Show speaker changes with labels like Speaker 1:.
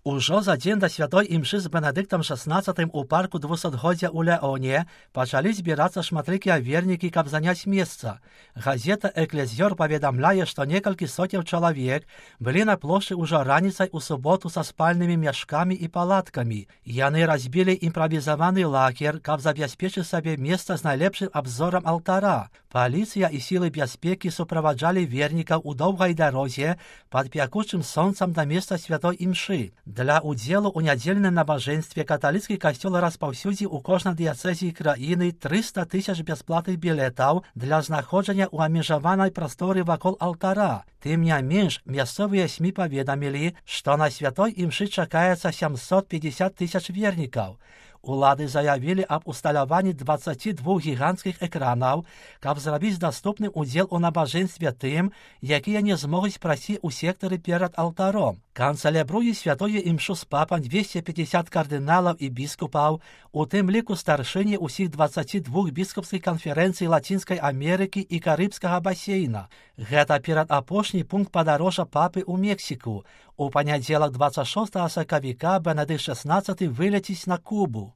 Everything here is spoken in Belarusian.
Speaker 1: Ужо за дзень да святой імшы з Бенедыктам XVI у парку 200годдзя ў Леоне пачалі збірацца шматлікія вернікі, каб заняць месца. Газета «Экклезіёр» паведамляе, што некалькі соцень чалавек былі на плошчы ўжо раніцай у суботу са спальнымі мяшкамі і палаткамі. Яны разбілі імправізаваны лагер, каб забяспечыць сабе месца з найлепшым абзорам алтара. Паліцыя і сілы бяспекі суправаджалі вернікаў у доўгай дарозе пад пякучым сонцам да месца святой імшы. Для удзелу ў нядзельным набажэнстве каталіцкі касцёл распаўсюдзіў у кожнай дыяцэзіі краіны 300 000 бясплатных білетаў для знаходжання ў абмежаванай прасторы вакол алтара. Тым не менш, мясцовыя СМІ паведамілі, што на святой імшы чакаецца 750 000 вернікаў. Улады заявілі аб усталяванні 22 гіганцкіх экранаў, каб зрабіць даступным удзел у набажэнстве тым, якія не змогуць прайсці ў сектары перад алтаром. Канцэлябруе святое імшу з папам 250 кардыналаў і біскупаў, у тым ліку старшыні ўсіх 22 біскупскіх канферэнцый Лацінскай Амерыкі і Карыбскага басейна. Гэта перадапошні пункт падарожжа папы ў Мексіку. У панядзелак 26 сакавіка Бенедыкт XVI вылеціць на Кубу.